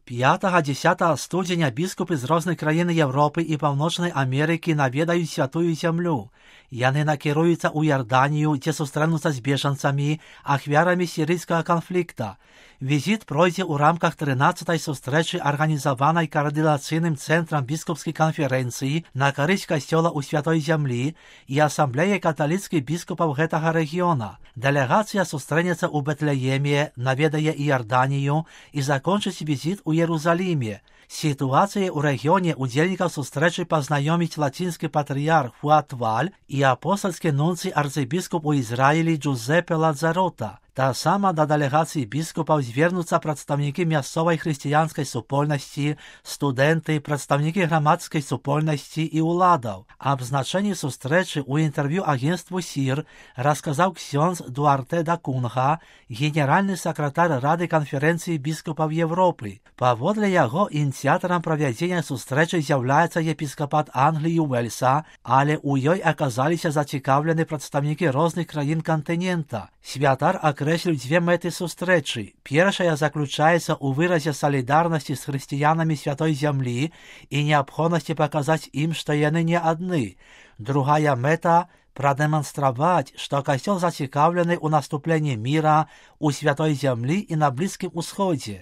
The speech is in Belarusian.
5-10 студзеня біскупы з розных краін Європи і Паўночнай Амерыкі наведаюць святую зямлю. Яны накіруюцца ў Ярданію, дзе сустрэнуцца з бежанцамі, ахвярамі сірыйскага канфлікта. Візіт пройдзе ў рамках 13-й сустрэчы, арганізаванай каардынацыйным цэнтрам біскупскай канферэнцыі на карысць касцёла ў святой зямлі і асамблеі каталіцкіх біскупаў гэтага рэгіёна. Дэлегацыя сустрэнецца ў Бэтлееме, наведае і Ярданію і закончыць візіт у Єрусаліме. Сітуацыяй у рэгіёне удзельнікаў сустрэчы пазнаёміць лацінскі патрыярх Фуад Валь і апостальскі нунцый арцыбіскуп у Ізраілі Джузепе Ладзарота. Таксама да дэлегацыі біскупаў звернуцца прадстаўнікі мясцовай хрысціянскай супольнасці, студэнты, прадстаўнікі грамадскай супольнасці і ўладаў. Аб значэнні сустрэчы ў інтэрв'ю агенцтву СІР расказаў ксёндз Дуарте да Кунга, генеральны сакратар Рады канферэнцыі біскупаў Европы. Паводле яго ініцыятарам правядзення сустрэчы з'яўляецца епіскапат Англіі і Уэльса, але ў ёй аказаліся зацікаўлены прадстаўнікі розных краін кантынента. Святар акрэсліў дзве мэты сустрэчы. Першая заключаецца ў выразе салідарнасці з хрысціянамі святой зямлі і неабходнасці паказаць ім, што яны не адны. Другая мэта – прадэманстраваць, што касцёл зацікаўлены ў наступленні міра, у святой зямлі і на Блізкім Усходзе.